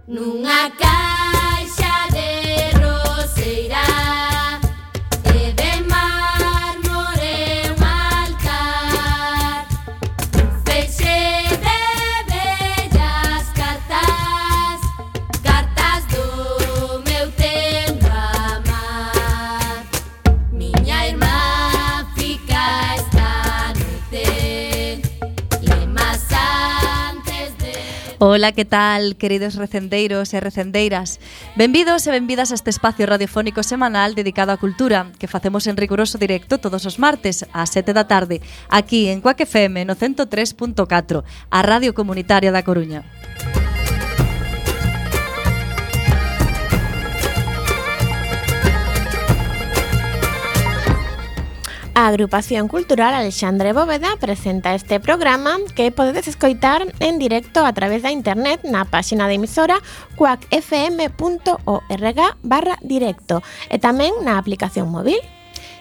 Nunha caixa de roseira e de mármore un altar, un feixe de bellas cartas, cartas do meu tempo amar. Miña irmá fica esta noite, lemas antes de... Ola, que tal, queridos recendeiros e recendeiras? Benvidos e benvidas a este espacio radiofónico semanal dedicado á cultura que facemos en riguroso directo todos os martes ás 7 da tarde aquí en Cuac FM no 103.4, a Radio Comunitaria da Coruña. A Agrupación Cultural Alexandre Bóveda presenta este programa que podedes escoitar en directo a través da internet na páxina de emisora cuacfm.org/directo e tamén na aplicación móvil.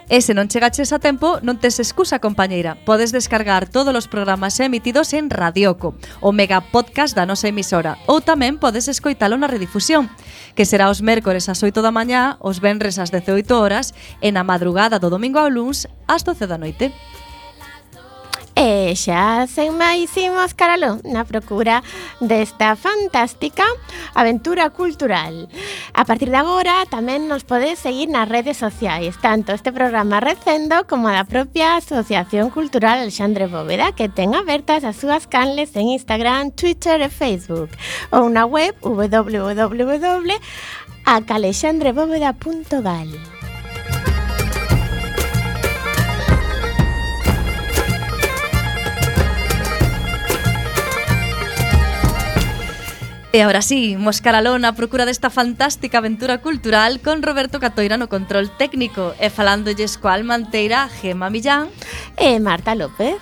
E se non chegaches a tempo, non tes excusa, compañeira. Podes descargar todos os programas emitidos en Radioco, o mega podcast da nosa emisora, ou tamén podes escoitalo na redifusión, que será os mércores ás 8 da mañá, os venres ás 18 horas e na madrugada do domingo ao luns ás 12 da noite. E xa sen máis imos caraló na procura desta fantástica aventura cultural. A partir de agora tamén nos podes seguir nas redes sociais, tanto este programa Recendo como a da propia Asociación Cultural Alexandre Bóveda, que ten abertas as súas canles en Instagram, Twitter e Facebook, ou na web www.acalexandrebóveda.gal. E agora sí, moscaralón a procura desta fantástica aventura cultural con Roberto Catoira no control técnico e falándolles coa almanteira Gemma Millán E Marta López.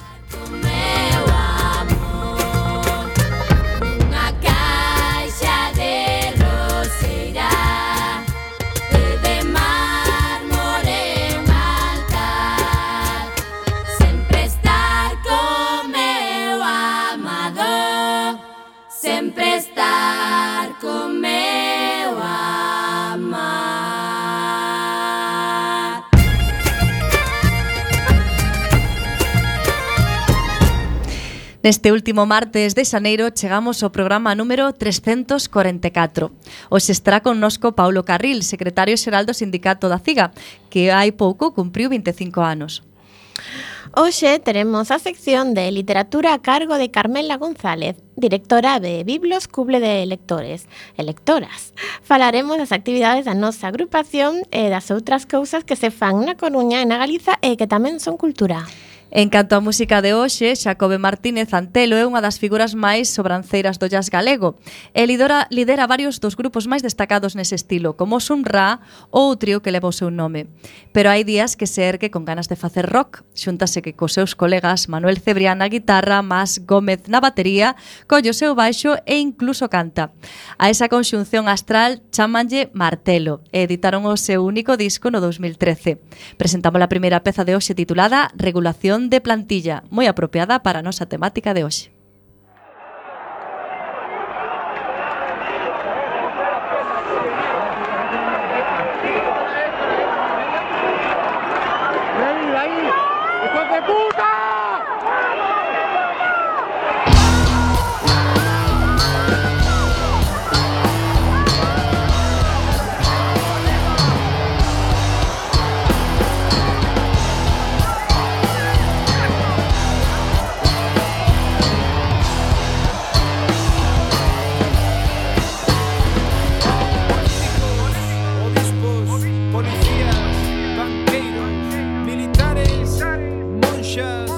Neste último martes de xaneiro chegamos ao programa número 344. Hoxe estará connosco Paulo Carril, secretario xeral do Sindicato da CIGA, que hai pouco cumpriu 25 anos. Hoxe teremos a sección de literatura a cargo de Carmela González, directora de Biblos Cuble de Lectores e Lectoras. Falaremos das actividades da nosa agrupación e das outras cousas que se fan na Coruña e na Galiza e que tamén son cultura. En canto á música de hoxe, Xacobe Martínez Antelo é unha das figuras máis sobranceiras do jazz galego e lidera varios dos grupos máis destacados nese estilo, como Sunra ou o trío que leva o seu nome. Pero hai días que se ergue con ganas de facer rock, xúntase que cos seus colegas Manuel Cebrián na guitarra, Mas Gómez na batería, colle o seu baixo e incluso canta. A esa conxunción astral chámanlle Martelo e editaron o seu único disco no 2013. Presentamos a primeira peza de hoxe titulada Regulación de plantilla, moi apropiada para a nosa temática de hoxe. Policías, banqueiros, militares, monxas,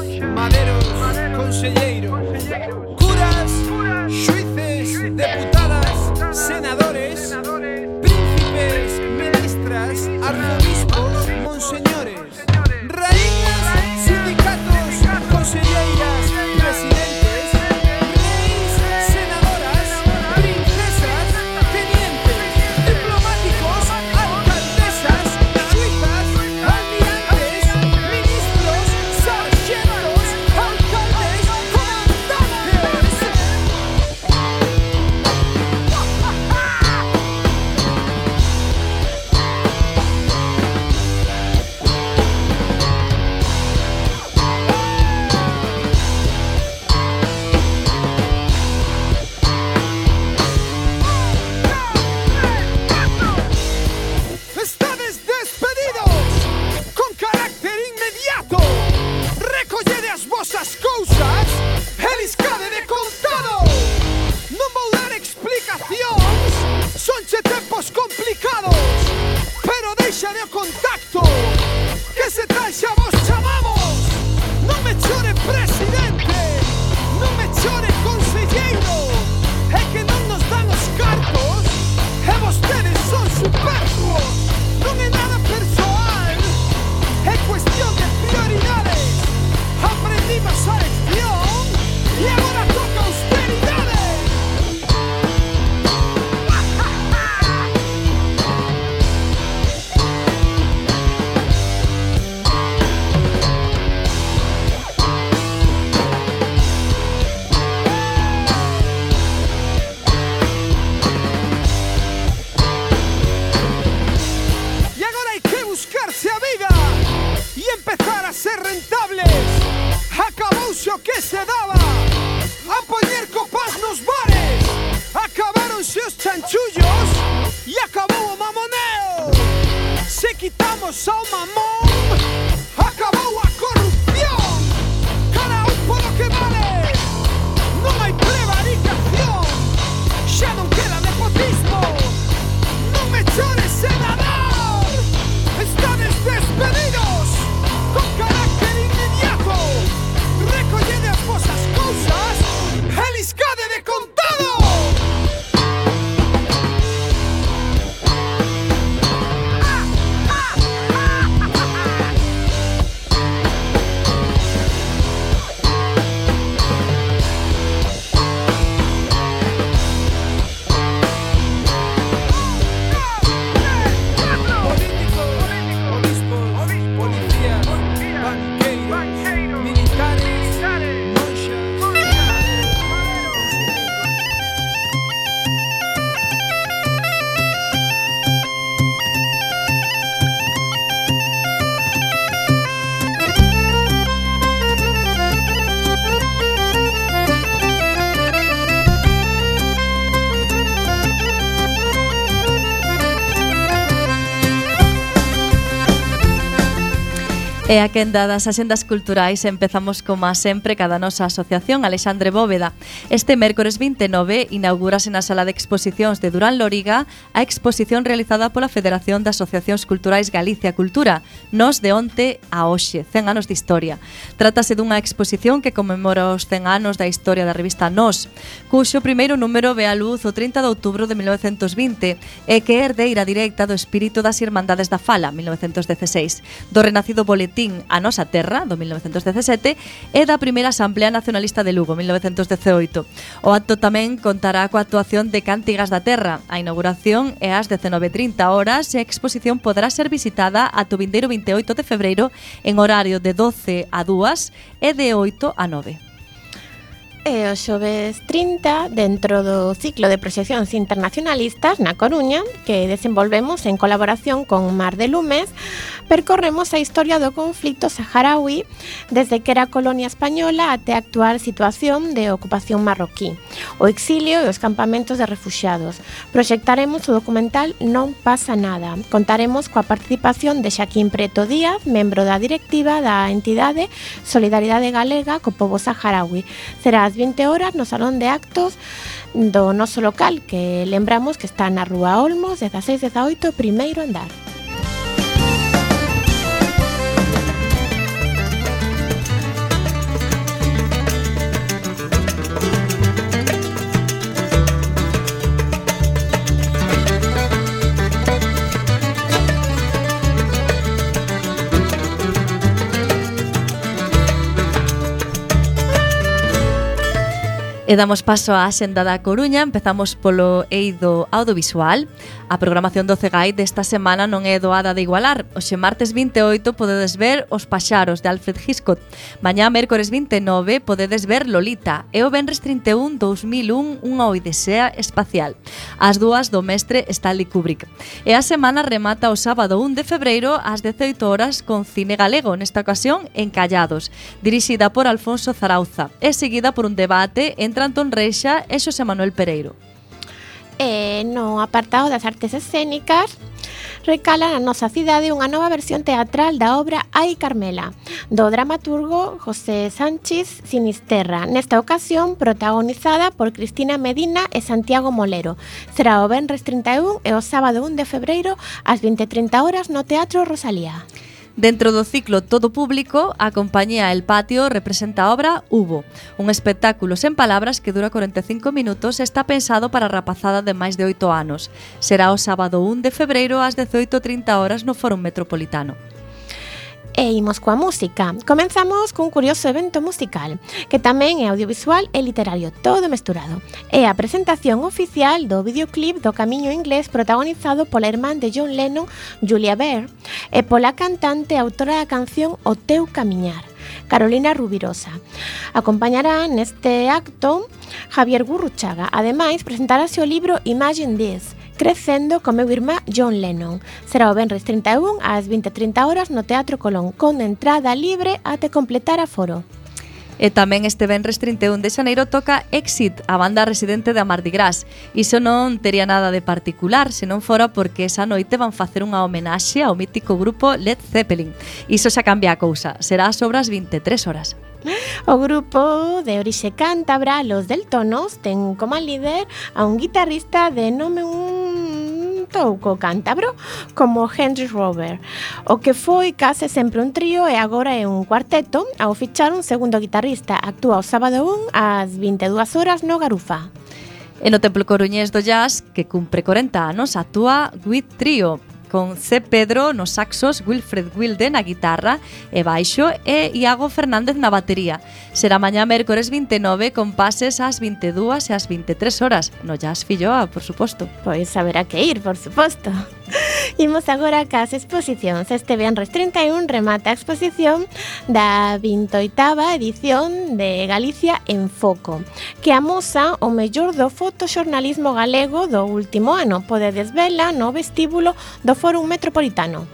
os chanchullos e acabou o mamoneo. Se quitamos ao mamón, acabou a corrupción. Cada polo que vale, non hai prevaricación. Xa non queda nepotismo, non me chores, senador. Estades despedidos con carácter inmediato. Recollede as vosas cousas e liscade de contado. E a quenda das axendas culturais empezamos como sempre cada nosa asociación Alexandre Bóveda. Este mércores 29 inaugúrase na sala de exposicións de Durán Lóriga a exposición realizada pola Federación de Asociacións Culturais Galicia Cultura, Nos de onte a hoxe, 100 anos de historia. Trátase dunha exposición que conmemora os 100 anos da historia da revista Nos, cuxo primeiro número ve a luz o 30 de outubro de 1920 e que é herdeira directa do espírito das Irmandades da Fala, 1916, do renacido boletín A Nosa Terra, do 1917, e da primeira Asamblea Nacionalista de Lugo, 1918. O acto tamén contará coa actuación de Cántigas da Terra. A inauguración é ás 19:30 horas e a exposición poderá ser visitada ata o vindeiro 28 de febreiro en horario de 12 a 2 e de 8 a 9. E o xoves 30, dentro do ciclo de proxeccións internacionalistas na Coruña, que desenvolvemos en colaboración con Mar de Lumes, percorremos a historia do conflito saharaui desde que era colonia española até a actual situación de ocupación marroquí, o exilio e os campamentos de refuxiados. Proxectaremos o documental Non pasa nada. Contaremos coa participación de Xaquín Preto Díaz, membro da directiva da entidade Solidaridade Galega co pobo saharaui. Será ás 20 horas no Salón de Actos do noso local, que lembramos que está na Rúa Olmos, 16-18, primeiro andar. E damos paso á Axenda da Coruña. Empezamos polo eido audiovisual. A programación do CEGAI desta semana non é doada de igualar. Hoxe martes 28 podedes ver Os paxaros de Alfred Hitchcock. Mañá mércores 29 podedes ver Lolita. E o venres 31 2001 unha odisea espacial. As dúas do mestre Stanley Kubrick. E a semana remata o sábado 1 de febreiro ás 18 horas con cine galego, nesta ocasión en Callados, dirixida por Alfonso Zarauza e seguida por un debate entre Antón Reixa e Xosé Manuel Pereiro. E no apartado das artes escénicas, recala na nosa cidade unha nova versión teatral da obra Ai Carmela, do dramaturgo José Sánchez Sinisterra, nesta ocasión protagonizada por Cristina Medina e Santiago Molero. Será o venres 31 e o sábado 1 de febreiro ás 20:30 horas no Teatro Rosalía. Dentro do ciclo Todo Público, a compañía El Patio representa a obra Hubo, un espectáculo sen palabras que dura 45 minutos e está pensado para a rapazada de máis de 8 anos. Será o sábado 1 de febreiro ás 18:30 horas no Fórum Metropolitano. E imos coa música. Comenzamos cun curioso evento musical, que tamén é audiovisual e literario, todo mesturado. É a presentación oficial do videoclip do Camiño Inglés protagonizado pola irmán de John Lennon, Julia Baird, e pola cantante e autora da canción O Teu Camiñar, Carolina Rubirosa. Acompañará neste acto Javier Gurruchaga. Ademais, presentarase o libro Imagine This, Crecendo co meu irmá John Lennon. Será o venres 31 ás 20:30 horas no Teatro Colón, con entrada libre até completar aforo. E tamén este venres 31 de xaneiro toca Exit, a banda residente da Mardi Gras. Iso non tería nada de particular, se non fora porque esa noite van facer unha homenaxe ao mítico grupo Led Zeppelin. Iso xa cambia a cousa, será sobre as 23 horas. O grupo de orixe cántabra, Los Deltonos, ten como líder a un guitarrista de nome touco cántabro como Henry Rover. O que foi case sempre un trío e agora é un cuarteto ao fichar un segundo guitarrista. Actúa o sábado 1 ás 22 horas no Garufa. E no Templo Coruñés do Jazz, que cumpre 40 anos, actúa With Trio, con C. Pedro nos saxos, Wilfred Wilde na guitarra e baixo e Iago Fernández na batería. Será mañá mércores 29 con pases ás 22 e ás 23 horas. No Jazz Filloa, por suposto. Pois haberá que ir, por suposto. Imos agora cas exposicións. Este venres 31 remata a exposición da 28ª edición de Galicia en Foco, que amosa o mellor do fotoxornalismo galego do último ano. Podedes vela no vestíbulo do Fórum Metropolitano.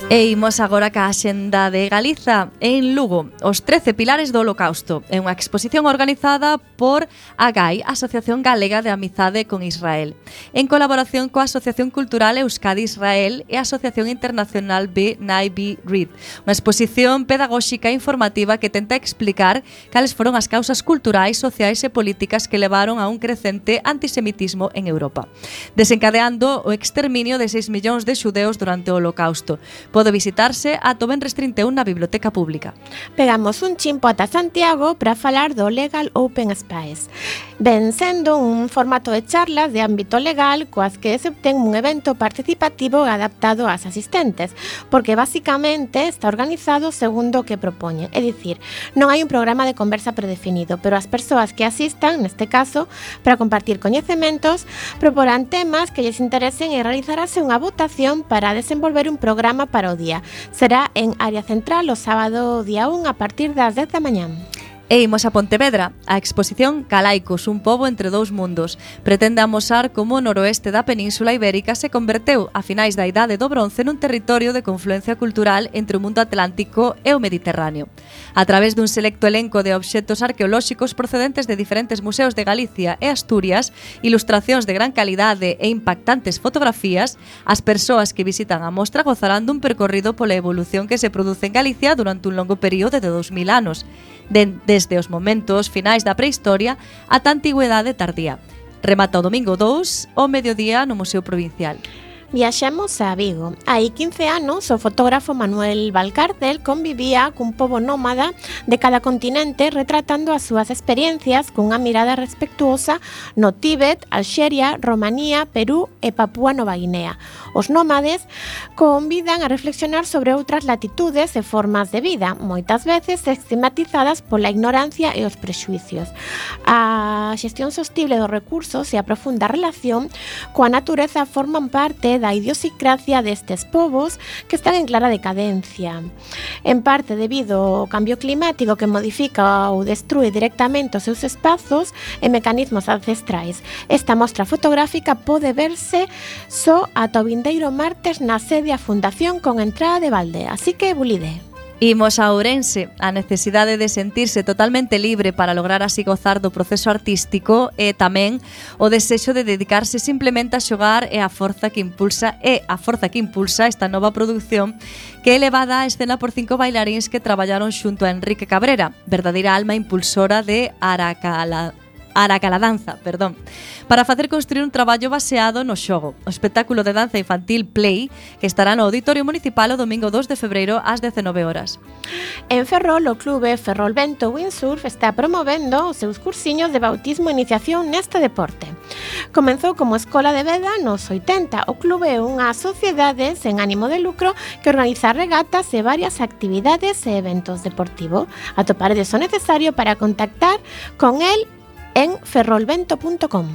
E imos agora ca Axenda de Galiza en Lugo, os 13 pilares do Holocausto. É unha exposición organizada por AGAI, Asociación Galega de Amizade con Israel, en colaboración coa Asociación Cultural Euskadi Israel e a Asociación Internacional B'nai B'rith. Unha exposición pedagóxica e informativa que tenta explicar cales foron as causas culturais, sociais e políticas que levaron a un crecente antisemitismo en Europa, desencadeando o exterminio de 6 millóns de xudeus durante o Holocausto. Pode visitarse ata o venres 31 na Biblioteca Pública. Pegamos un chimpo ata Santiago para falar do Legal Open Space. Ven sendo un formato de charlas de ámbito legal coas que se obtén un evento participativo e adaptado ás asistentes, porque basicamente está organizado segundo o que propoñen. É dicir, non hai un programa de conversa predefinido, pero as persoas que asistan, neste caso, para compartir coñecementos, proporán temas que lles interesen e realizarase unha votación para desenvolver un programa para o día. Será en área central o sábado día 1 a partir das 10 da mañá. E imos a Pontevedra. A exposición Calaicos, un pobo entre dous mundos, pretende amosar como o noroeste da Península Ibérica se converteu a finais da Idade do Bronce nun territorio de confluencia cultural entre o mundo atlántico e o Mediterráneo. A través dun selecto elenco de obxectos arqueolóxicos procedentes de diferentes museos de Galicia e Asturias, ilustracións de gran calidade e impactantes fotografías, as persoas que visitan a mostra gozarán dun percorrido pola evolución que se produce en Galicia durante un longo período de 2000 anos, desde os momentos finais da prehistoria ata a antigüedade tardía. Remata o domingo 2 ao mediodía no Museo Provincial. Viaxemos a Vigo. Hai 15 anos, o fotógrafo Manuel Valcárcel convivía cun pobo nómada de cada continente retratando as súas experiencias cunha mirada respectuosa no Tíbet, Alxeria, Romanía, Perú e Papúa Nova Guinea. Os nómades convidan a reflexionar sobre outras latitudes e formas de vida, moitas veces estigmatizadas pola ignorancia e os prexuicios. A xestión sostible dos recursos e a profunda relación coa natureza forman parte da idiosincrasia destes povos que están en clara decadencia. En parte debido ao cambio climático que modifica ou destrue directamente os seus espazos e mecanismos ancestrais. Esta mostra fotográfica pode verse só ata o vindeiro martes na sede a Fundación con entrada de balde, así que bulide. Imos a Ourense. A necesidade de sentirse totalmente libre para lograr así gozar do proceso artístico e tamén o desexo de dedicarse simplemente a xogar e a forza que impulsa esta nova produción que é levada á escena por 5 bailaríns que traballaron xunto a Enrique Cabrera, verdadeira alma impulsora de Aracaladanza, para facer construir un traballo baseado no xogo. O espectáculo de danza infantil Play, que estará no Auditorio Municipal o domingo 2 de febreiro ás 19 horas. En Ferrol, o clube Ferrol Vento Windsurf está promovendo os seus cursiños de bautismo e iniciación neste deporte. Comenzou como escola de veda nos 80. O clube é unha sociedade sen ánimo de lucro que organiza regatas e varias actividades e eventos deportivos. Atoparedes o necesario para contactar con el en ferrolvento.com.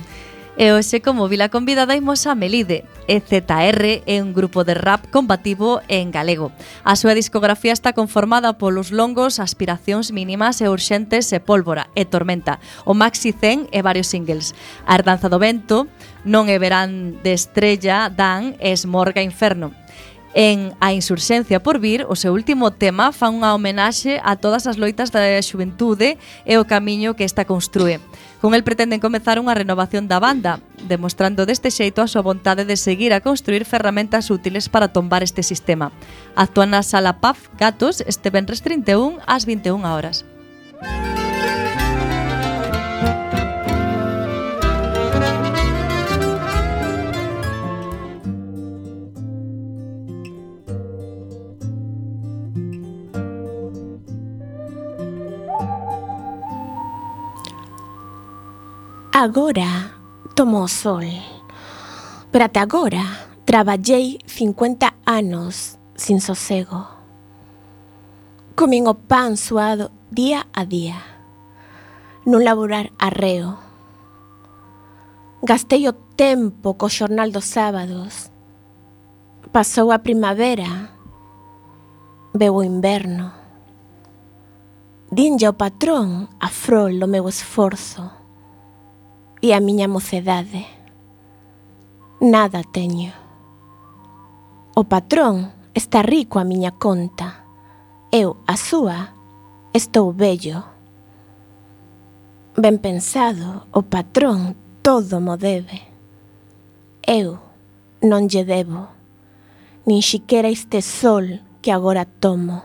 E hoxe, como vila convidada, imos a Melide. EZR é un grupo de rap combativo en galego. A súa discografía está conformada polos longos Aspiracións mínimas e urxentes e Pólvora e Tormenta, o Maxi 100 e varios singles. A Herdanza do vento, Non é verán de estrella, Dan e Esmorga inferno. En A insurxencia por vir, o seu último tema fan unha homenaxe a todas as loitas da xuventude e o camiño que esta construe. Con el pretenden comezar unha renovación da banda, demostrando deste xeito a súa vontade de seguir a construir ferramentas útiles para tombar este sistema. Actúan na Sala PAF Gatos este venres 31 ás 21 horas. Agora tomo o sol, pero até agora traballei 50 anos sin sosego. Comín o pan suado día a día, nun laborar arreo. Gastei o tempo co xornal dos sábados. Pasou a primavera, veu o inverno. Dinlle ao patrón a frol do meu esforzo. E a miña mocedade. Nada teño. O patrón está rico a miña conta. Eu, a súa, estou vello. Ben pensado, o patrón todo mo debe. Eu non lle debo, nin siquera este sol que agora tomo.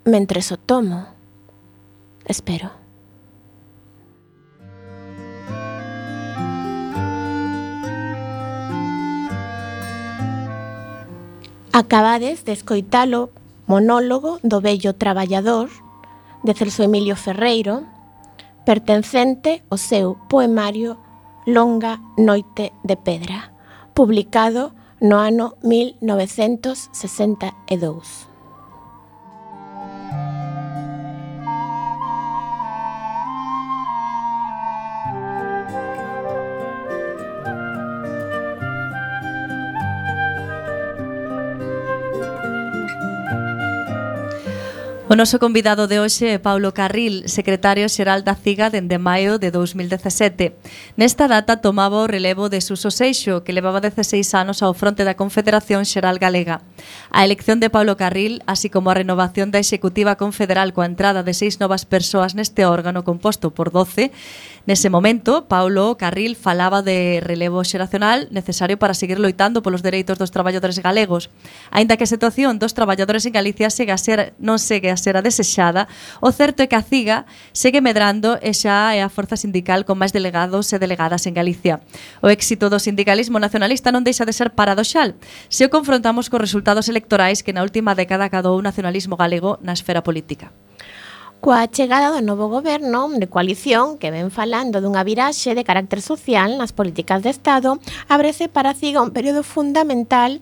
Mentres o tomo, espero. Acabades de escoitalo monólogo do vello traballador de Celso Emilio Ferreiro, pertencente ao seu poemario Longa noite de pedra, publicado no ano 1962. O noso convidado de hoxe é Paulo Carril, secretario xeral da CIGA dende maio de 2017. Nesta data tomaba o relevo de Suso Seixo, que levaba 16 anos ao fronte da Confederación Xeral Galega. A elección de Paulo Carril, así como a renovación da Executiva Confederal coa entrada de 6 novas persoas neste órgano composto por 12, nese momento, Paulo Carril falaba de relevo xeracional necesario para seguir loitando polos dereitos dos traballadores galegos. Aínda que a situación dos traballadores en Galicia non segue a ser a desexada, o certo é que a CIGA segue medrando e xa é a forza sindical con máis delegados e delegadas en Galicia. O éxito do sindicalismo nacionalista non deixa de ser paradoxal se o confrontamos cos resultados electorais que na última década acadou o nacionalismo galego na esfera política. Coa chegada do novo goberno de coalición que ven falando dunha viraxe de carácter social nas políticas de Estado, ábrese para a CIGA un período fundamental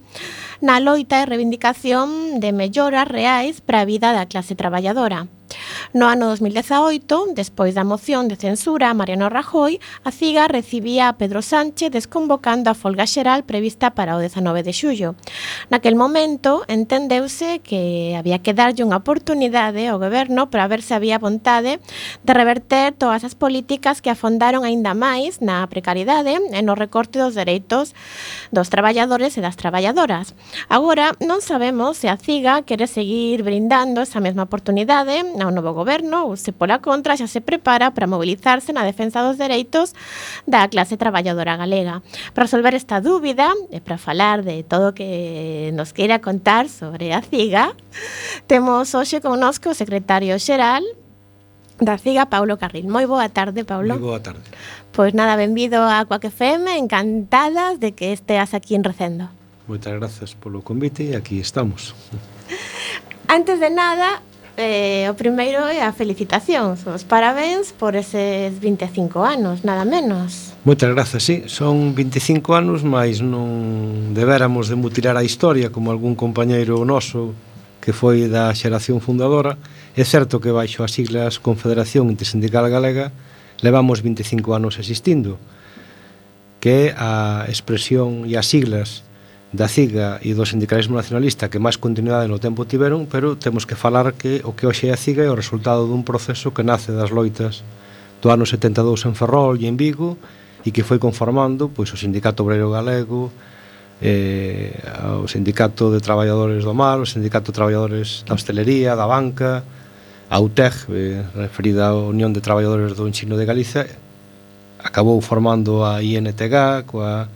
na loita e reivindicación de melloras reais para a vida da clase traballadora. No ano 2018, despois da moción de censura a Mariano Rajoy, a CIGA recibía a Pedro Sánchez desconvocando a folga xeral prevista para o 19 de xullo. Naquel momento, entendeuse que había que darlle unha oportunidade ao goberno para ver se había vontade de reverter todas as políticas que afondaron aínda máis na precariedade e no recorte dos dereitos dos traballadores e das traballadoras. Agora, non sabemos se a CIGA quere seguir brindando esa mesma oportunidade ao novo goberno ou se pola contra xa se prepara para mobilizarse na defensa dos dereitos da clase traballadora galega. Para resolver esta dúbida e para falar de todo o que nos queira contar sobre a CIGA, temos hoxe connosco o secretario xeral da CIGA, Paulo Carril. Moi boa tarde, Paulo. Moi boa tarde. Pois nada, benvido a Cuac FM, encantadas de que esteas aquí en Recendo. Moitas grazas polo convite e aquí estamos. Antes de nada, o primeiro é a felicitación, os parabéns por eses 25 anos, nada menos. Moitas grazas, sí, son 25 anos, mas non debéramos de mutilar a historia como algún compañeiro noso que foi da xeración fundadora. É certo que baixo as siglas Confederación Intersindical Galega levamos 25 anos existindo, que é a expresión e as siglas da CIGA e do sindicalismo nacionalista que máis continuidade no tempo tiveron, pero temos que falar que o que hoxe é a CIGA é o resultado dun proceso que nace das loitas do ano 72 en Ferrol e en Vigo e que foi conformando pois, o Sindicato Obreiro Galego, o Sindicato de Traballadores do Mar, o Sindicato de Traballadores da Hostelería, da Banca, a UTEG, referida á Unión de Traballadores do Ensino de Galicia, acabou formando a INTG coa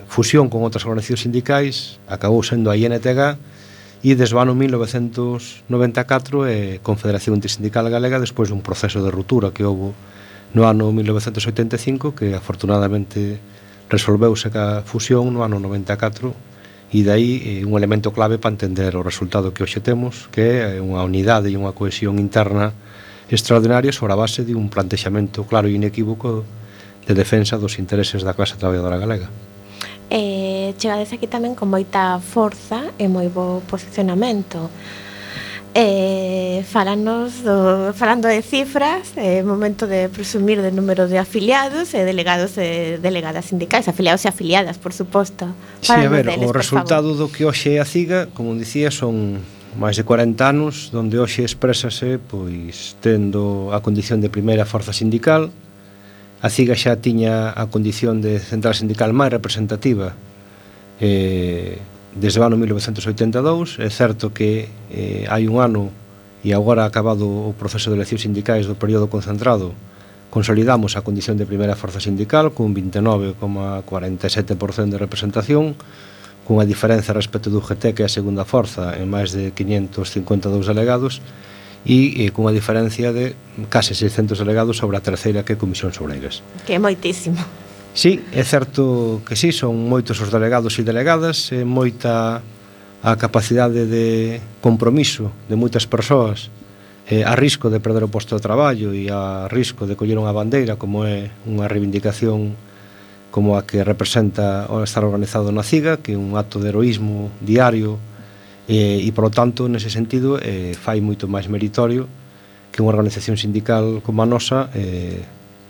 fusión con outras organizacións sindicais, acabou sendo a INTG e desde o ano 1994 Confederación Intersindical Galega despois dun proceso de ruptura que houve no ano 1985 que afortunadamente resolveuse ca fusión no ano 94 e dai un elemento clave para entender o resultado que hoxe temos, que é unha unidade e unha cohesión interna extraordinaria sobre a base de un plantexamento claro e inequívoco de defensa dos intereses da clase traballadora galega. Chegades aquí tamén con moita forza e moi bo posicionamento. Falando de cifras, é momento de presumir de número de afiliados e delegados e delegadas sindicais, afiliados e afiliadas, por suposto. Sí, a ver, o resultado do que hoxe é a CIGA, como dicía, son máis de 40 anos, donde hoxe exprésase pois tendo a condición de primeira forza sindical. A CIGA xa tiña a condición de central sindical máis representativa desde o ano 1982. É certo que hai un ano e agora acabado o proceso de eleccións sindicais do período concentrado consolidamos a condición de primeira forza sindical con 29,47% de representación, cunha diferenza respecto do UGT, que é a segunda forza, en máis de 552 delegados, e cunha diferencia de case 600 delegados sobre a terceira, que é Comisións Obreiras. Que é moitísimo. Sí, é certo que sí, son moitos os delegados e delegadas, é moita a capacidade de compromiso de moitas persoas a risco de perder o posto de traballo e a risco de coller unha bandeira, como é unha reivindicación como a que representa o estar organizado na CIGA, que é un acto de heroísmo diario e polo tanto, nese sentido, fai moito máis meritorio que unha organización sindical como a nosa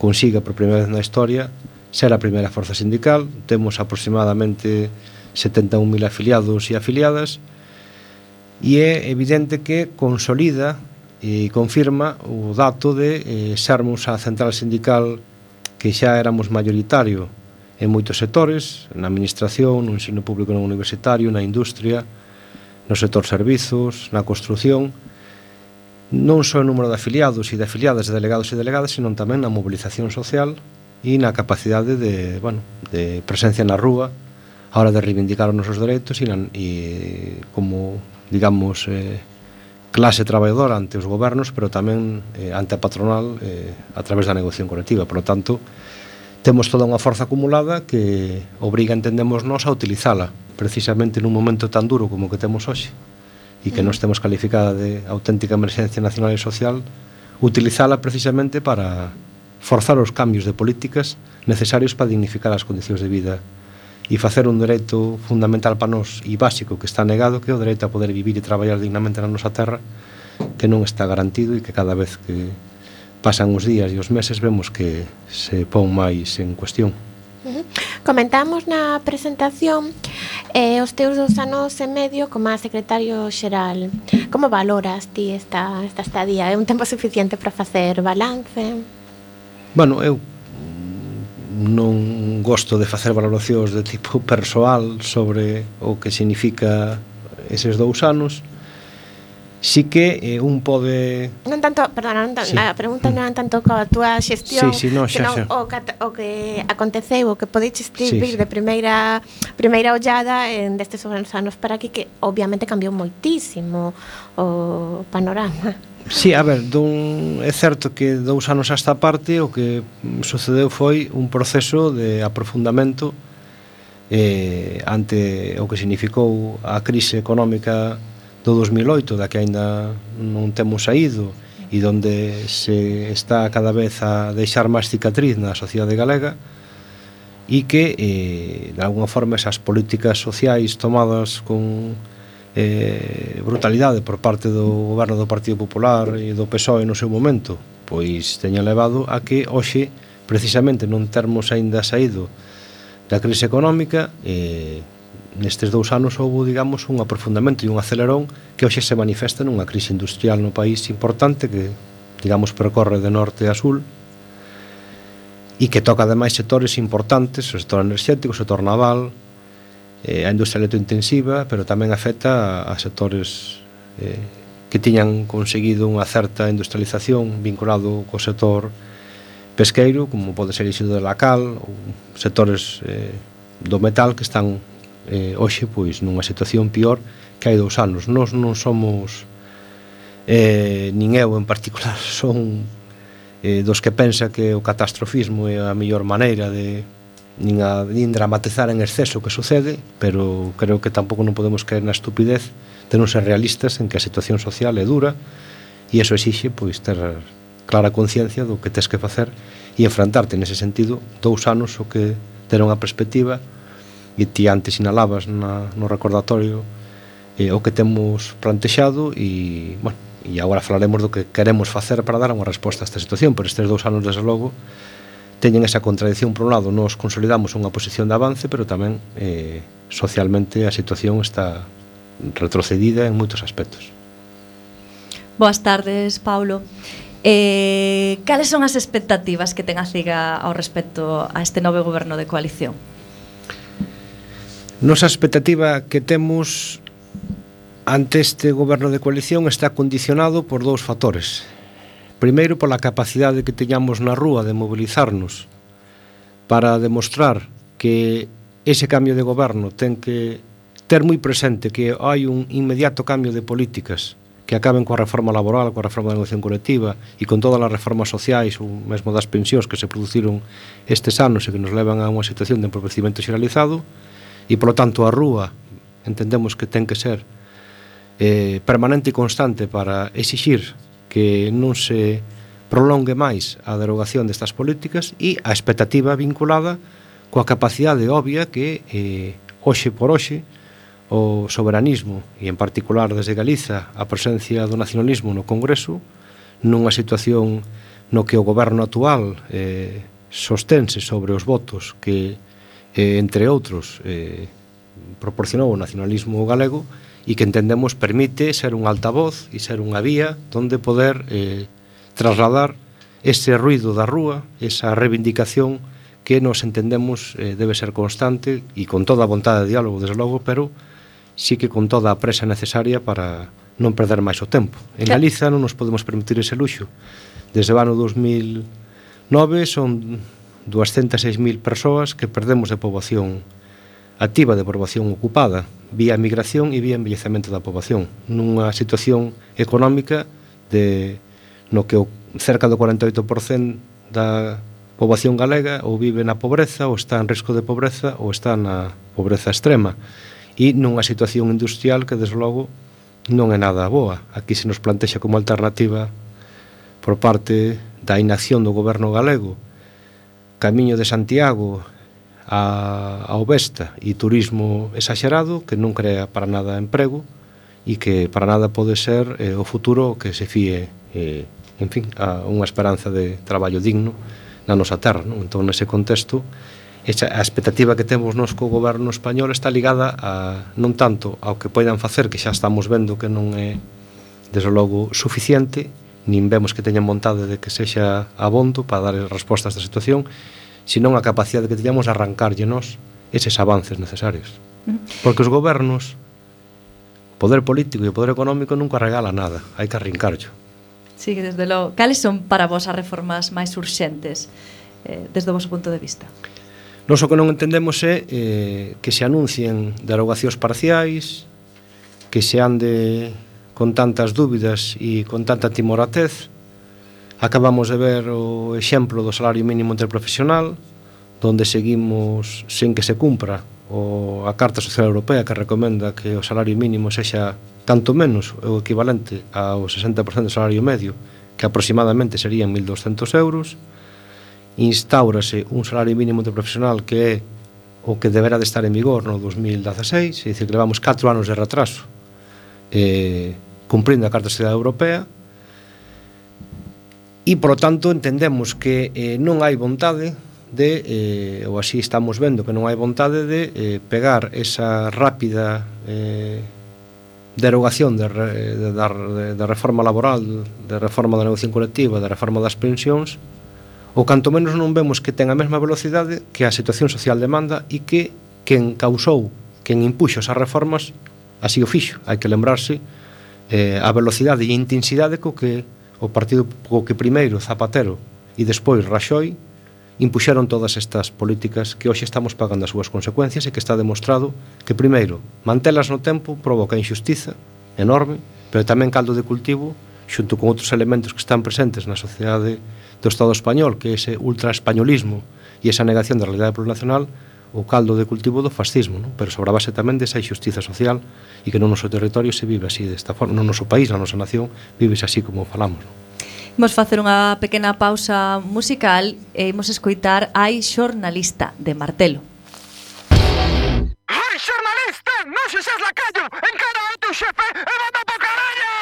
consiga por primeira vez na historia ser a primeira forza sindical. Temos aproximadamente 71.000 afiliados e afiliadas e é evidente que consolida e confirma o dato de sermos a central sindical que xa éramos mayoritario en moitos sectores, na administración, no ensino público non universitario, na industria, no sector servizos, na construción, non só o número de afiliados e de afiliadas, de delegados e delegadas, senón tamén na mobilización social e na capacidade de presencia na rúa a hora de reivindicar os nosos dereitos e como, digamos, clase traballadora ante os gobernos, pero tamén ante a patronal a través da negociación colectiva. Por lo tanto, temos toda unha forza acumulada que obriga, entendemos nós, a utilizala precisamente nun momento tan duro como que temos hoxe e que nos temos calificada de auténtica emerxencia nacional e social, utilizala precisamente para forzar os cambios de políticas necesarios para dignificar as condicións de vida e facer un dereito fundamental para nós e básico que está negado, que é o dereito a poder vivir e traballar dignamente na nosa terra, que non está garantido e que cada vez que pasan os días e os meses vemos que se pon máis en cuestión. Comentamos na presentación os teus 2 anos e medio como a secretario xeral. Como valoras ti esta estadía? É un tempo suficiente para facer balance? Bueno, eu non gosto de facer valoracións de tipo persoal sobre o que significa eses 2 anos. Sí que un pode... Non tanto, perdona, sí. A pregunta non é tanto coa túa xestión, senón o que aconteceu, o que podeches vivir de primeira ollada destes anos para aquí, que obviamente cambiou moitísimo o panorama. Sí, a ver, é certo que 2 anos a esta parte o que sucedeu foi un proceso de aprofundamento ante o que significou a crise económica do 2008, da que aínda non temos saído e donde se está cada vez a deixar máis cicatriz na sociedade galega e que, de alguna forma, esas políticas sociais tomadas con brutalidade por parte do goberno do Partido Popular e do PSOE no seu momento, pois teña levado a que hoxe, precisamente non termos aínda saído da crise económica, nestes 2 anos houve, digamos, un aprofundamento e un acelerón que hoxe se manifesta nunha crise industrial no país importante que, digamos, percorre de norte a sur e que toca ademais sectores importantes, o sector enerxético, o sector naval, a industria electrointensiva, pero tamén afecta a sectores que tiñan conseguido unha certa industrialización vinculado co sector pesqueiro, como pode ser iso de la cal, ou sectores do metal que están hoxe pois nunha situación pior que hai 2 anos. Nós non somos nin eu en particular son dos que pensa que o catastrofismo é a mellor maneira de nin dramatizar en exceso o que sucede, pero creo que tampouco non podemos caer na estupidez de non ser realistas en que a situación social é dura e iso exixe pois ter clara conciencia do que tes que facer e enfrentarte nese sentido 2 anos o que ter unha perspectiva. E ti antes sinalabas no recordatorio o que temos plantexado e, bueno, e agora falaremos do que queremos facer para dar unha resposta a esta situación, pero estes 2 anos, desde logo, teñen esa contradicción. Por un lado, nos consolidamos unha posición de avance, pero tamén socialmente a situación está retrocedida en moitos aspectos. Boas tardes, Paulo. Cales son as expectativas que ten a CIGA ao respecto a este novo goberno de coalición? Nosa expectativa que temos ante este goberno de coalición está condicionado por 2 factores. Primeiro, pola capacidade que teñamos na rúa de mobilizarnos para demostrar que ese cambio de goberno ten que ter moi presente que hai un inmediato cambio de políticas que acaben coa reforma laboral, coa reforma da negociación colectiva e con todas as reformas sociais ou mesmo das pensións que se produciron estes anos e que nos levan a unha situación de empobrecimento xeralizado. E, polo tanto, a rúa entendemos que ten que ser permanente e constante para exixir que non se prolongue máis a derogación destas políticas e a expectativa vinculada coa capacidade obvia que hoxe por hoxe o soberanismo e en particular desde Galiza a presencia do nacionalismo no Congreso nunha situación no que o goberno actual sostense sobre os votos que entre outros proporcionou o nacionalismo galego e que entendemos permite ser un altavoz e ser unha vía donde poder trasladar ese ruido da rúa, esa reivindicación que nos entendemos debe ser constante e con toda a vontade de diálogo, desde logo, pero sí que con toda a presa necesaria para non perder máis o tempo. En Galiza non nos podemos permitir ese luxo. Desde o ano 2009 son 206.000 persoas que perdemos de poboación activa, de poboación ocupada, vía migración e vía envellecemento da poboación, nunha situación económica no que cerca do 48% da poboación galega ou vive na pobreza, ou está en risco de pobreza, ou está na pobreza extrema, e nunha situación industrial que, desde logo, non é nada boa. Aquí se nos plantexa como alternativa por parte da inacción do goberno galego camiño de Santiago ao Vesta e turismo exagerado que non crea para nada emprego e que para nada pode ser o futuro que se fíe en fin, a unha esperanza de traballo digno na nosa terra, non? Entón, nese contexto, a expectativa que temos nos co goberno español está ligada non tanto ao que poidan facer, que xa estamos vendo que non é desde logo suficiente, nin vemos que teñan vontade de que sexa abondo para dar resposta a esta situación, senón a capacidade que teñamos de arrancarlle nos eses avances necesarios. Porque os gobernos, o poder político e o poder económico nunca regala nada, hai que arrincarllo. Sí, desde logo. Cales son para vos as reformas máis urxentes desde o vosso punto de vista? Nos o que non entendemos é que se anuncien derogacións parciais, que se ande con tantas dúbidas e con tanta timoratez. Acabamos de ver o exemplo do salario mínimo interprofesional, donde seguimos sen que se cumpra a Carta Social Europea, que recomenda que o salario mínimo sexa tanto menos o equivalente ao 60% do salario medio, que aproximadamente serían 1.200 euros. Instaurase un salario mínimo interprofesional que é o que deberá de estar en vigor no 2016, é dicir, que levamos 4 anos de retraso cumprindo a Carta Social Europea. E, por lo tanto, entendemos que non hai vontade de, ou así estamos vendo que non hai vontade de pegar esa rápida derogación de reforma laboral, de reforma da negociación colectiva, de reforma das pensións, ou canto menos non vemos que ten a mesma velocidade que a situación social demanda e que quen causou, quen impuxo esas reformas, así o fixo. Hai que lembrarse a velocidade e a intensidade co que o partido, co que primeiro Zapatero e despois Rajoy impuxeron todas estas políticas que hoxe estamos pagando as súas consecuencias e que está demostrado que, primeiro, mantelas no tempo provoca injustiza enorme, pero tamén caldo de cultivo, xunto con outros elementos que están presentes na sociedade do Estado español, que é ese ultraespañolismo e esa negación da realidade plurinacional, o caldo de cultivo do fascismo, non? Pero sobre a base tamén desa injustiza social e que no noso territorio se vive así desta forma, no noso país, na nosa nación, vives así como falamos, non? Imos facer unha pequena pausa musical e imos escoitar Ai xornalista, de Martelo. Ai xornalista, non se seas lacayo, encara ao teu xefe e manda po carallo!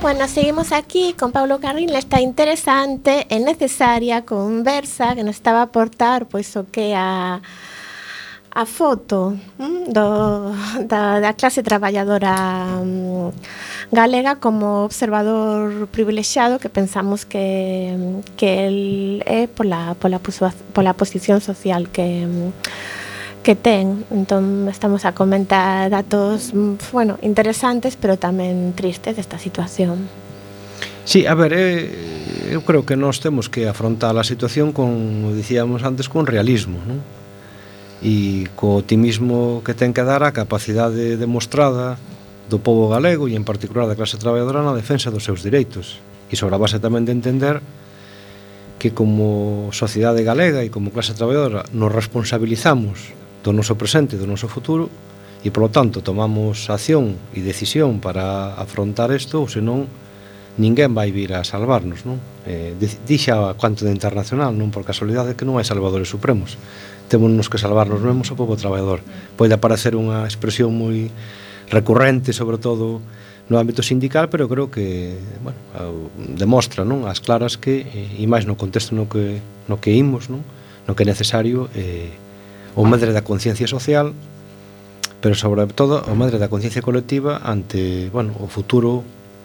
Bueno, seguimos aquí con Pablo Carril nesta interesante e necesaria conversa que nos estaba a aportar pois o que a a foto da clase traballadora galega como observador privilexiado que pensamos que el é pola posición social que ten. Entón estamos a comentar datos interesantes pero tamén tristes desta situación. Sí, a ver, eu creo que nós temos que afrontar a situación como dicíamos antes, con realismo, non? E co optimismo que ten que dar a capacidade demostrada do pobo galego e en particular da clase traballadora na defensa dos seus direitos e sobre a base tamén de entender que como sociedade galega e como clase traballadora nos responsabilizamos do noso presente e do noso futuro e polo tanto tomamos acción e decisión para afrontar isto ou senón ninguén vai vir a salvarnos, non? Dixa cuanto de internacional, non por casualidade que non hai salvadores supremos, témonos que salvarnos mesmos o povo traballador. Pode aparecer unha expresión moi recurrente, sobre todo no ámbito sindical, pero creo que demostra, non, as claras que e máis no contexto no que imos, non, no que é necesario o medre da conciencia social, pero sobre todo o medre da conciencia colectiva ante, o futuro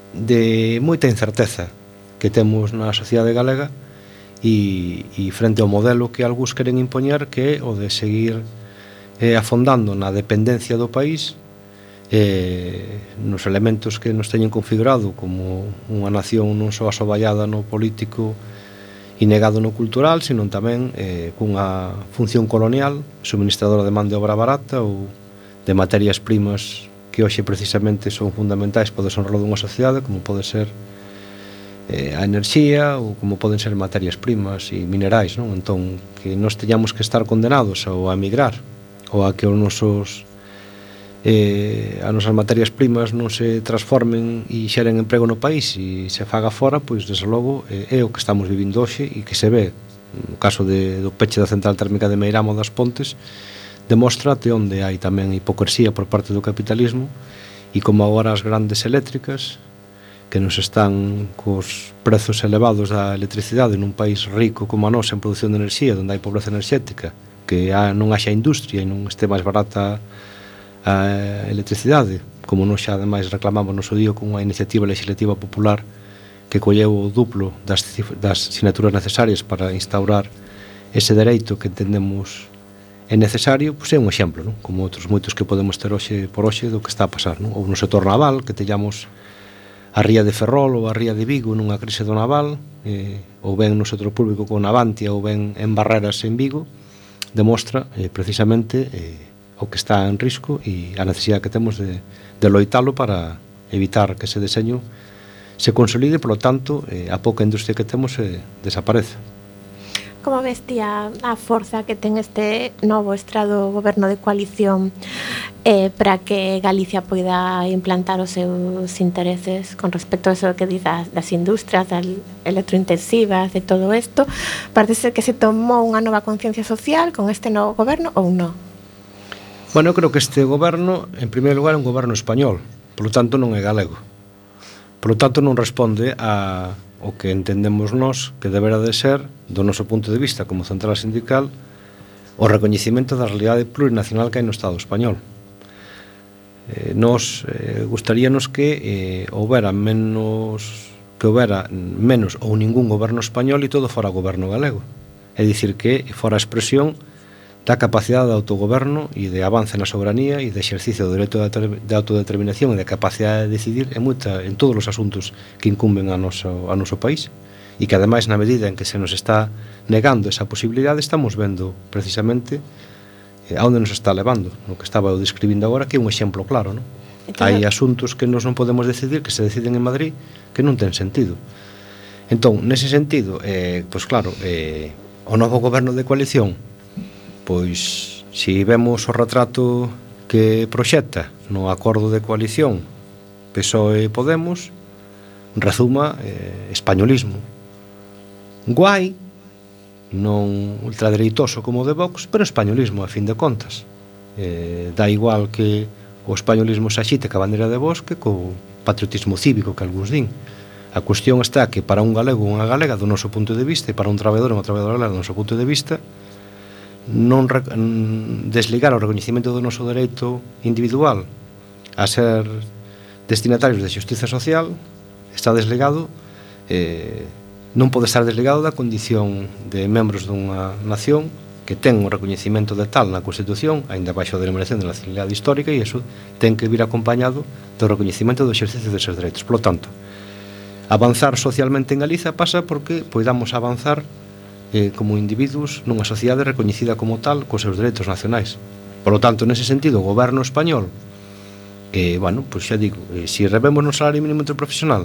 de moita incerteza que temos na sociedade galega e frente ao modelo que algúns queren impoñer, que é o de seguir afondando na dependencia do país, nos elementos que nos teñen configurado como unha nación non só asoballada no político e negado no cultural, senón tamén cunha función colonial, suministradora de man de obra barata ou de materias primas que hoxe precisamente son fundamentais para o desenrolo dunha sociedade, como pode ser a enerxía ou como poden ser materias primas e minerais, non? Entón, que nós teñamos que estar condenados ao a emigrar ou a que as nosas materias primas non se transformen e xeren emprego no país e se faga fora, pois desde logo é o que estamos vivindo hoxe e que se ve no caso do peche da central térmica de Meiramo das Pontes, demostra até onde hai tamén hipocresía por parte do capitalismo e como agora as grandes eléctricas que nos están cos prezos elevados da electricidade nun país rico como a nosa en produción de enerxía, onde hai pobreza enerxética, que non haxa industria e non este máis barata a electricidade, como nós xa ademais reclamamos no seu día con unha iniciativa legislativa popular que colleu o duplo das sinaturas necesarias para instaurar ese dereito que entendemos é necesario, pois é un exemplo, non? Como outros moitos que podemos ter hoxe por hoxe do que está a pasar, non? Ou no sector naval, que teñamos a ría de Ferrol ou a ría de Vigo nunha crise do naval, ou ben no sector público con Navantia ou ben en Barreras en Vigo, demostra precisamente o que está en risco e a necesidade que temos de loitalo para evitar que ese deseño se consolide, polo tanto, a pouca industria que temos desaparece. Como ves ti a forza que ten este novo estrado goberno de coalición para que Galicia poida implantar os seus intereses con respecto a eso que diz das industrias, das electrointensivas, de todo isto? Parece ser que se tomou unha nova conciencia social con este novo goberno ou non? Bueno, eu creo que este goberno, en primeiro lugar, é un goberno español, polo tanto non é galego. Polo tanto non responde a o que entendemos nós que deberá de ser, do noso punto de vista como central sindical, o recoñecimento da realidade plurinacional que hai no Estado español. Nos gustaríanos que houbera menos ou ningún goberno español e todo fora goberno galego. É dicir, que fora a expresión da capacidade de autogoberno e de avance na soberanía e de exercicio do dereito de autodeterminación e de capacidade de decidir en todos os asuntos que incumben a noso país e que ademais na medida en que se nos está negando esa posibilidade estamos vendo precisamente a onde nos está levando, no que estaba eu describindo agora, que é un exemplo claro, non? Hai asuntos que nos non podemos decidir, que se deciden en Madrid, que non ten sentido. Entón, nese sentido, pois claro, o novo goberno de coalición, pois, se vemos o retrato que proxecta no acordo de coalición PSOE e Podemos, rezuma españolismo. Guai, non ultradereitoso como o de Vox, pero españolismo, a fin de contas. Dá igual que o españolismo se axite ca bandeira de Vox que co patriotismo cívico que algúns din. A cuestión está que para un galego ou unha galega do noso punto de vista e para un traballador ou unha traballadora galega do noso punto de vista desligar o recoñecemento do noso dereito individual a ser destinatarios de xustiza social está desligado, non pode estar desligado da condición de membros dunha nación que ten o recoñecemento de tal na Constitución, aínda baixo a denominación de nacionalidade histórica, e iso ten que vir acompañado do recoñecemento do exercicio deses dereitos. Por lo tanto, avanzar socialmente en Galiza pasa porque poidamos avanzar como individuos nunha sociedade recoñecida como tal cos seus dereitos nacionais. Por lo tanto, nese sentido, o goberno español, bueno, pois xa digo, se revemos no salario mínimo interprofesional,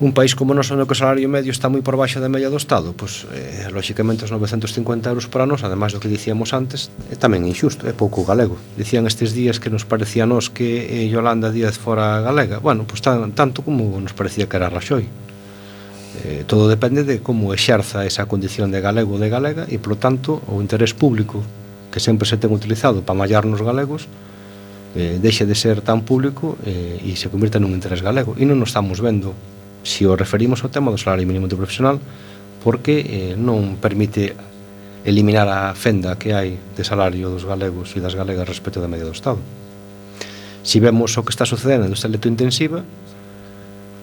un país como nós onde o salario medio está moi por baixo da media do Estado, pois, lóxicamente, os 950 euros para nós, ademais do que dicíamos antes, é tamén injusto, é pouco galego. Dicían estes días que nos parecía a nós que Yolanda Díaz fora galega. Bueno, pois tanto como nos parecía que era Raxoi. Todo depende de como exerza esa condición de galego ou de galega e, polo tanto, o interés público que sempre se ten utilizado para mallar nos galegos deixe de ser tan público e se convirta nun interés galego. E non nos estamos vendo se o referimos ao tema do salario mínimo interprofesional porque non permite eliminar a fenda que hai de salario dos galegos e das galegas respecto da media do Estado. Se vemos o que está sucedendo nesta electrointensiva,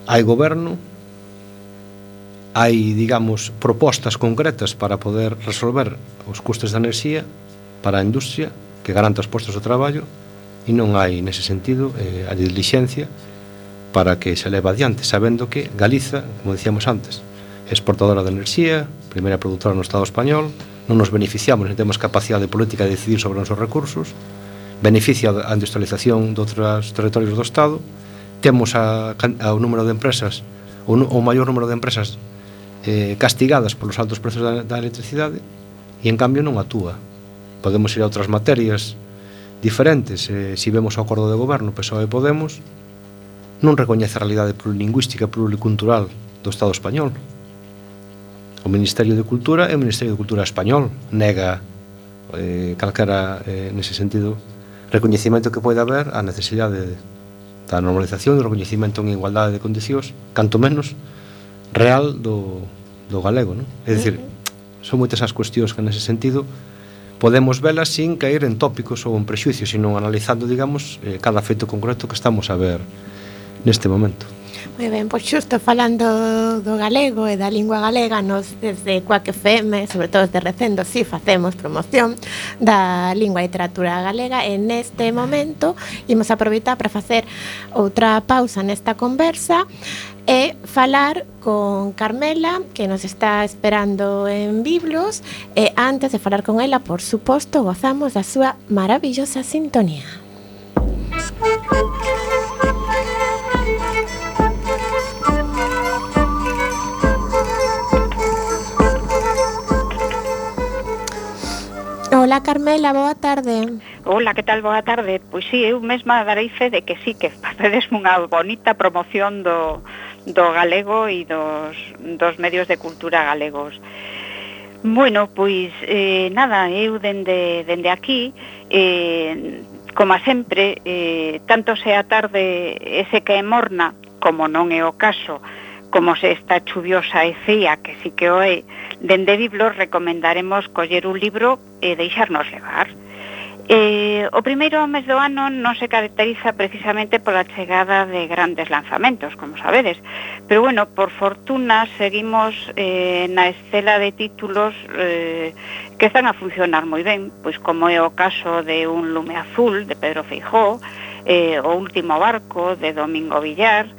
hai goberno, hai, digamos, propostas concretas para poder resolver os custes da enerxía para a industria que garanta os postos de traballo e non hai, nese sentido, a dilixencia para que se leve adiante, sabendo que Galiza, como dicíamos antes, é exportadora de enerxía, primeira produtora no Estado español, non nos beneficiamos, non temos capacidade política de decidir sobre os nosos recursos, beneficia a industrialización de outros territorios do Estado, temos o número de empresas, o maior número de empresas castigadas polos altos prezos da electricidade e en cambio non actúa. Podemos ir a outras materias diferentes. Se vemos o acordo de goberno PSOE e Podemos, non recoñece a realidade plurilingüística e pluricultural do Estado español. O Ministerio de Cultura é o Ministerio de Cultura español, nega calquera, nese sentido, recoñecimento que pode haber a necesidade da normalización e do recoñecimento en igualdade de condicións, canto menos real do galego, non? É dicir, son moitas as cuestións que nese sentido podemos velas sin caer en tópicos ou en prexuicios, sino analizando, digamos, cada feito concreto que estamos a ver neste momento. Moi ben, pois xusto falando do galego e da lingua galega, nos desde Quack FM, sobre todo desde Recendo, si facemos promoción da lingua e literatura galega, e neste momento imos aproveitar para facer outra pausa nesta conversa e falar con Carmela, que nos está esperando en Biblos, e antes de falar con ela, por suposto, gozamos da súa maravillosa sintonía. Hola Carmela, boa tarde. Hola, que tal? Boa tarde. Pois sí, eu mesma darei fe de que sí, que facedes unha bonita promoción do galego e dos medios de cultura galegos. Bueno, pois nada, eu dende aquí, como sempre, tanto se a tarde ese que é morna, como non é o caso, como se está chuviosa e fría, que sí que o é, dende Biblos recomendaremos coller un libro e deixarnos levar. O primeiro mes do ano non se caracteriza precisamente pola chegada de grandes lanzamentos, como sabedes, pero bueno, por fortuna seguimos na estela de títulos que están a funcionar moi ben, pois como é o caso de Un lume azul, de Pedro Feijóo, O último barco, de Domingo Villar,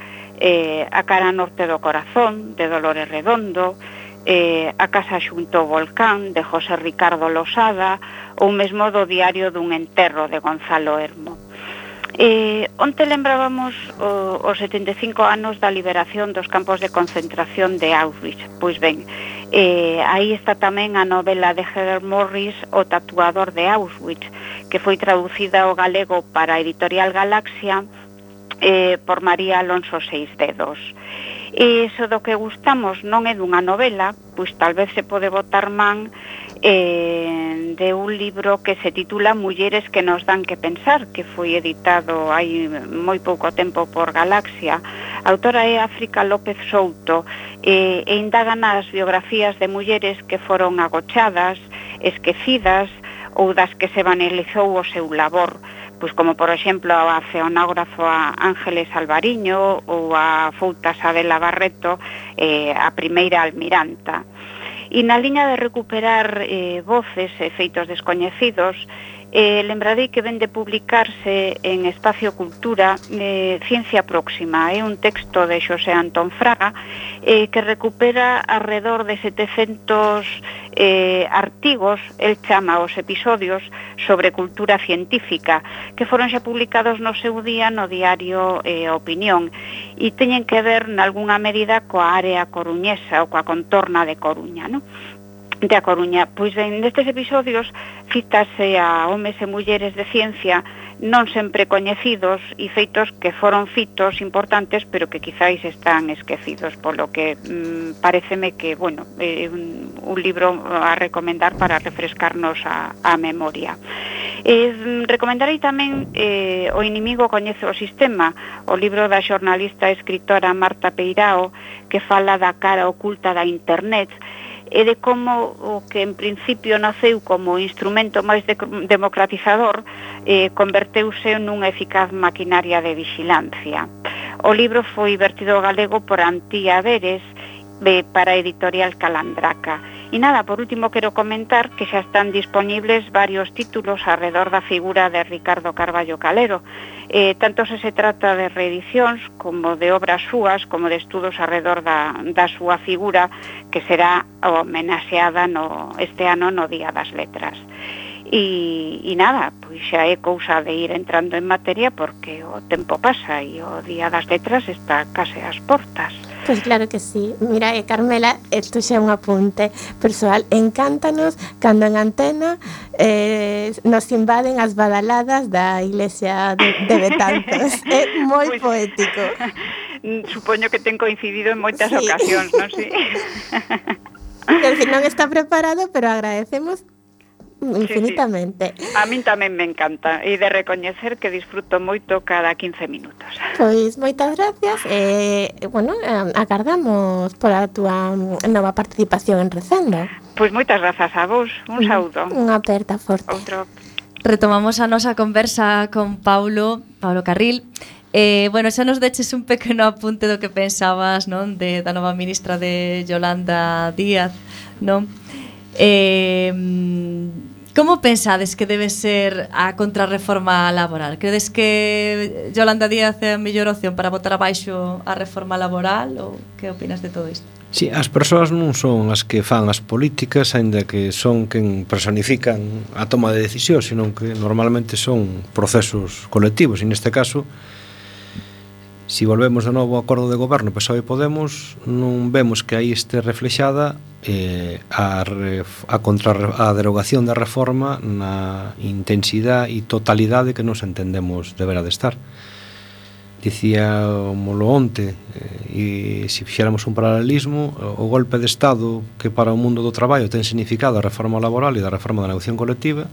A cara norte do corazón, de Dolores Redondo, A casa xunto ao volcán, de José Ricardo Losada, ou mesmo do Diario dun enterro, de Gonzalo Hermo. Onte lembrábamos os 75 anos da liberación dos campos de concentración de Auschwitz. Pois ben, aí está tamén a novela de Heather Morris, O tatuador de Auschwitz, que foi traducida ao galego para a editorial Galaxia por María Alonso Seisdedos. E iso do que gustamos non é dunha novela, pois tal vez se pode botar man de un libro que se titula Mulleres que nos dan que pensar, que foi editado hai moi pouco tempo por Galaxia. A autora é África López Souto e indaga nas biografías de mulleres que foron agochadas esquecidas ou das que se banalizou o seu labor, pois como por exemplo a oceanógrafo Ángeles Alvariño ou a fouta Sabela Barreto, a primeira almiranta. E na liña de recuperar voces e feitos descoñecidos, lembrarei que ven de publicarse en Espacio Cultura Ciencia Próxima, un texto de Xosé Antón Fraga que recupera alrededor de 700 artigos, el chama os episodios sobre cultura científica, que foron xa publicados no seu día no diario Opinión, e teñen que ver nalgúna medida coa área coruñesa ou coa contorna de Coruña, non? De A Coruña. Pois nestes episodios cítase a homes e mulleres de ciencia non sempre coñecidos e feitos que foron fitos importantes pero que quizáis están esquecidos, polo que pareceme que, bueno, é un libro a recomendar para refrescarnos a memoria. Recomendarei tamén O inimigo coñece o sistema, o libro da xornalista e escritora Marta Peirao, que fala da cara oculta da internet e de como o que en principio naceu como instrumento máis democratizador converteuse nunha eficaz maquinaria de vigilancia. O libro foi vertido ao galego por Antía Veres para a editorial Calandraca. E nada, por último quero comentar que xa están disponibles varios títulos alrededor da figura de Ricardo Carballo Calero, tanto se trata de reedicións como de obras súas, como de estudos alrededor da súa figura, que será homenaxeada este ano no Día das Letras. E nada, pois xa é cousa de ir entrando en materia porque o tempo pasa e o Día das Letras está case ás portas. Pois claro que sí. Mira, Carmela, isto xa é un apunte persoal. Encántanos cando en antena nos invaden as badaladas da iglesia de Betanzos. É moi poético. Supoño que ten coincidido en moitas ocasións, non? Sí. Non está preparado, pero agradecemos infinitamente. Sí. A min tamén me encanta e de recoñecer que disfruto moito cada 15 minutos. Pois moitas gracias bueno, agardamos pola túa nova participación en Recendo. Pois moitas grazas a vos, un saúdo. Unha aperta forte. Outro. Retomamos a nosa conversa con Paulo Carril. Bueno, xa nos deches un pequeno apunte do que pensabas, non, da nova ministra de Yolanda Díaz, non? Como pensades que debe ser a contrarreforma laboral? Credes que Yolanda Díaz é a mellor opción para botar abaixo a reforma laboral ou que opinas de todo isto? Sí, as persoas non son as que fan as políticas, aínda que son quen personifican a toma de decisións, sino que normalmente son procesos colectivos, e neste caso, se volvemos de novo ao acordo de goberno PSOE e Podemos, non vemos que aí este reflexada a derogación da reforma na intensidade e totalidade que nos entendemos deberá de estar. Dicía molo onte, e se fixéramos un paralelismo, o golpe de Estado que para o mundo do traballo ten significado a reforma laboral e da reforma da negociación colectiva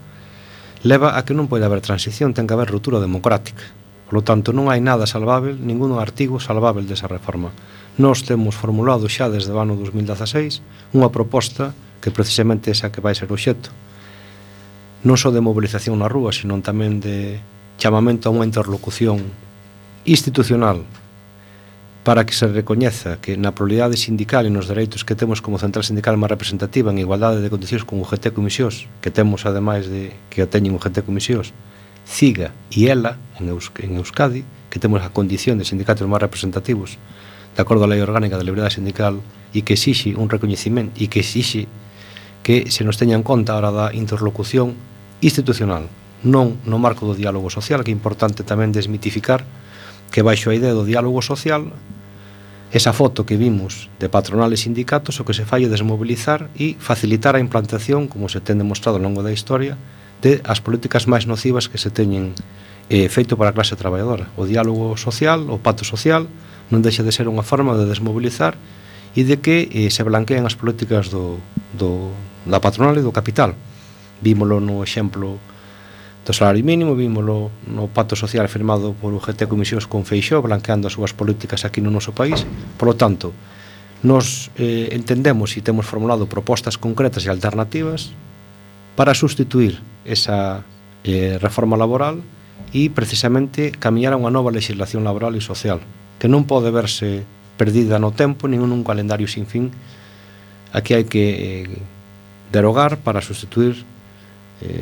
leva a que non pode haber transición, ten que haber ruptura democrática. Por lo tanto, non hai nada salvável, ningún artigo salvável desa reforma. Nós temos formulado xa desde o ano 2016 unha proposta que precisamente esa que vai ser o xeto non só de movilización na rúa, sino tamén de chamamento a unha interlocución institucional para que se recoñeza que na pluralidade sindical e nos dereitos que temos como central sindical máis representativa en igualdade de condicións con UGT Comisións, que temos ademais de que o teñen UGT Comisións, CIGA e ELA en Euskadi, que temos a condición de sindicatos máis representativos de acordo á Lei Orgánica de Liberdade Sindical e que exixe un recoñecimento e que exixe que se nos teña en conta a hora da interlocución institucional, non no marco do diálogo social, que é importante tamén desmitificar que baixo a idea do diálogo social esa foto que vimos de patronal e sindicatos o que se fai é desmobilizar e facilitar a implantación, como se ten demostrado ao longo da historia, de as políticas máis nocivas que se teñen feito para a clase traballadora. O diálogo social, o pacto social, non deixa de ser unha forma de desmobilizar e de que se blanquean as políticas da patronal e do capital. Vímolo no exemplo do salario mínimo, vímolo no pacto social firmado por UGT Comisións con Feixóo, blanqueando as súas políticas aquí no noso país. Por lo tanto, nos entendemos e temos formulado propostas concretas e alternativas para sustituir esa reforma laboral e precisamente camiñar a unha nova legislación laboral e social que non pode verse perdida no tempo nin nun calendario sin fin. Aquí hai que derogar para sustituir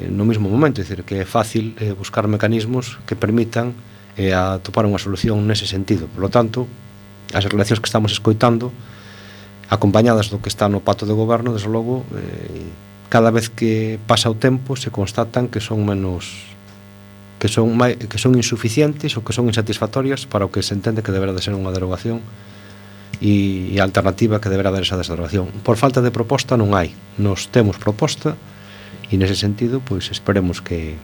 no mesmo momento, é dicir, que é fácil buscar mecanismos que permitan atopar unha solución nese sentido. Por lo tanto, as relacións que estamos escoitando, acompañadas do que está no pacto de goberno, desde logo, cada vez que pasa o tempo se constatan que son menos que son insuficientes ou que son insatisfactorias para o que se entende que deberá de ser unha derogación e a alternativa que deberá haber esa derogación. Por falta de proposta non hai. Nos temos proposta e nese sentido, pois esperemos que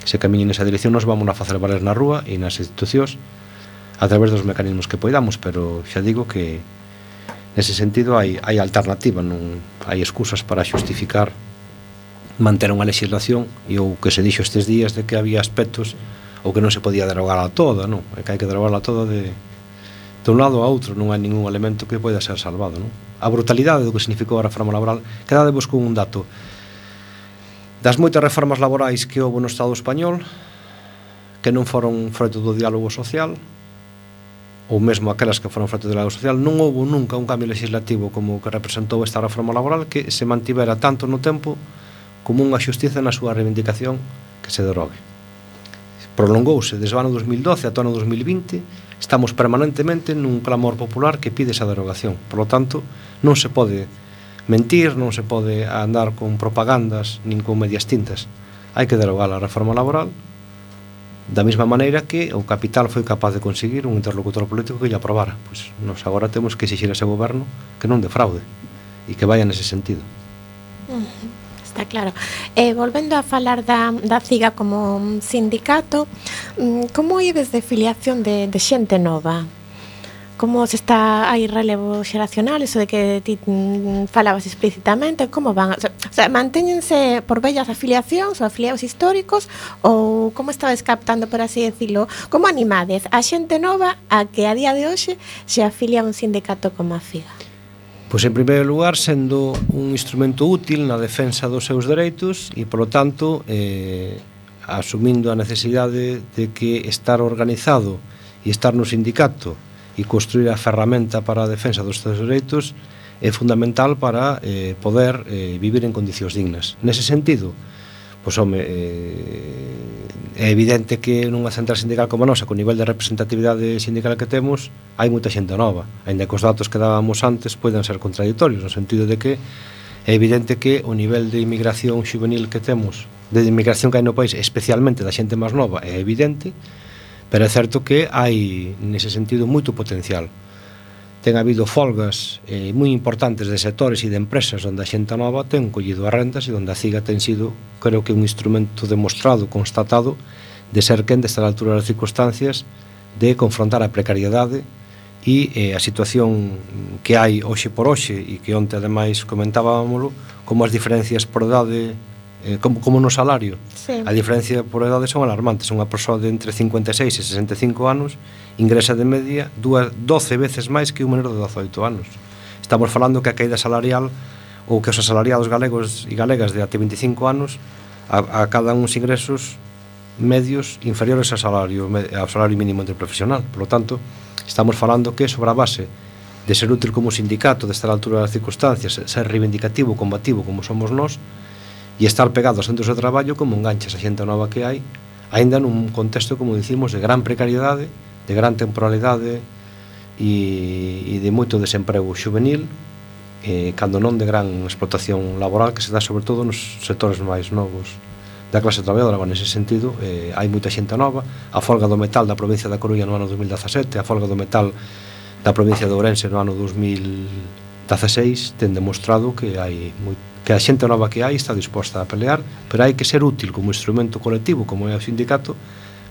se camiñe nesa dirección. Nos vamos a facer valer na rúa e nas institucións a través dos mecanismos que poidamos, pero xa digo que nese sentido hai alternativa, non hai excusas para xustificar manter unha legislación e o que se dixo estes días de que había aspectos ou que non se podía derogar a toda, non? É que hai que derogarla toda de un lado a outro, non hai ningún elemento que poida ser salvado, non? A brutalidade do que significou a reforma laboral, quedadevos con un dato. Das moitas reformas laborais que houve no Estado español, que non foron froito do diálogo social, ou mesmo aquelas que foron froito do diálogo social, non houve nunca un cambio legislativo como o que representou esta reforma laboral que se mantivera tanto no tempo como unha xustiza na súa reivindicación que se derogue. Prolongouse desde o ano 2012 ata o ano 2020, estamos permanentemente nun clamor popular que pide esa derogación. Por lo tanto, non se pode mentir, non se pode andar con propagandas nin con medias tintas. Hai que derogar a reforma laboral da mesma maneira que o capital foi capaz de conseguir un interlocutor político que lle aprobara. Pois nos agora temos que exixir a ese goberno que non defraude e que vaya nese sentido. Está claro. Volvendo a falar da CIGA como sindicato, como ides de filiación de xente nova? Como se está, hai relevo xeracional, eso de que ti falabas explícitamente, como van? O sea, mantéñense por vellas afiliacións ou afiliados históricos, ou como estabas captando, por así decirlo, como animades a xente nova a que a día de hoxe se afilia a un sindicato como a CIGA? Pois en primeiro lugar, sendo un instrumento útil na defensa dos seus dereitos e, polo tanto, asumindo a necesidade de que estar organizado e estar no sindicato e construir a ferramenta para a defensa dos seus dereitos é fundamental para poder vivir en condicións dignas. Nese sentido, pois, home, é evidente que nunha central sindical como a nosa, con nivel de representatividade sindical que temos, hai moita xente nova, ainda que os datos que dábamos antes poden ser contradictorios, no sentido de que é evidente que o nivel de inmigración juvenil que temos, de inmigración que hai no país, especialmente da xente máis nova, é evidente, pero é certo que hai, nese sentido, moito potencial. Ten habido folgas moi importantes de sectores e de empresas onde a xente nova ten collido as rendas e onde a CIGA ten sido, creo que, un instrumento demostrado, constatado, de ser quen desde a altura das circunstancias de confrontar a precariedade e a situación que hai hoxe por hoxe e que onte ademais comentábamoslo, como as diferencias por edade, como no salario. Sí. A diferencia por edade son alarmantes. Unha persoa de entre 56 e 65 anos ingresa de media 12 veces máis que un menor de 18 anos. Estamos falando que a caída salarial ou que os asalariados galegos e galegas de até 25 anos acadan uns ingresos medios inferiores ao salario mínimo interprofesional. Por lo tanto, estamos falando que sobre a base de ser útil como sindicato, de estar a altura das circunstancias, ser reivindicativo, combativo como somos nós, e estar pegado aos centros de traballo como enganchas a xente nova que hai, aínda nun contexto, como dicimos, de gran precariedade, de gran temporalidade e de moito desemprego juvenil, cando non de gran explotación laboral que se dá sobre todo nos sectores máis novos da clase traballadora. Nese sentido, hai moita xente nova. A folga do metal da provincia da Coruña no ano 2017, a folga do metal da provincia de Ourense no ano 2016 ten demostrado que que a xente nova que hai está disposta a pelear, pero hai que ser útil como instrumento colectivo, como é o sindicato,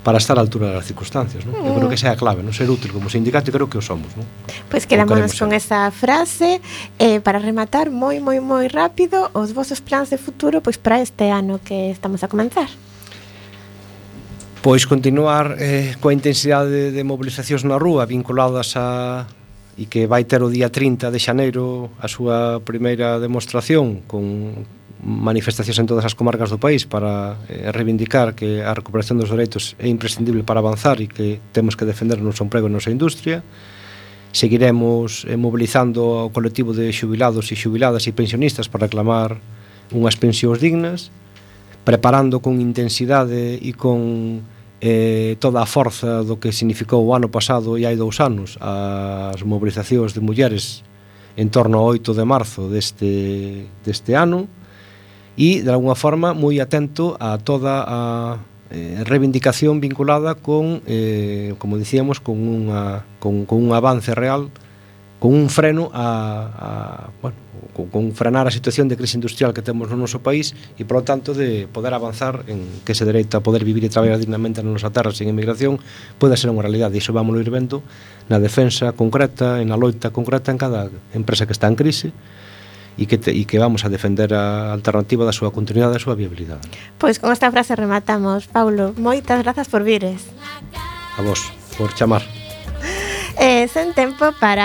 para estar á altura das circunstancias, non? Eu creo que esa é a clave, non? Ser útil como sindicato, e creo que o somos, non? Pois quedámonos con esa frase. Para rematar, moi rápido, os vosos plans de futuro pois para este ano que estamos a comenzar. Pois continuar coa intensidade de movilizacións na rúa vinculadas a e que vai ter o día 30 de xaneiro a súa primeira demostración con manifestacións en todas as comarcas do país para reivindicar que a recuperación dos dereitos é imprescindible para avanzar e que temos que defender o noso emprego e a nosa industria. Seguiremos mobilizando ao colectivo de xubilados e xubiladas e pensionistas para reclamar unhas pensións dignas, preparando con intensidade e con toda a forza do que significou o ano pasado e hai 2 anos as mobilizacións de mulleres en torno ao 8 de marzo deste ano, e de alguna forma moi atento a toda a reivindicación vinculada con, como dicíamos, con un avance real, con un freno con frenar a situación de crise industrial que temos no noso país e, por lo tanto, de poder avanzar en que ese dereito a poder vivir e traballar dignamente na nosa terra sen emigración poida ser unha realidade. E iso vamos ir vendo na defensa concreta, na loita concreta en cada empresa que está en crise e que vamos a defender a alternativa da súa continuidade e da súa viabilidade. Pois con esta frase rematamos. Paulo, moitas grazas por vires. A vos, por chamar. Sen tempo para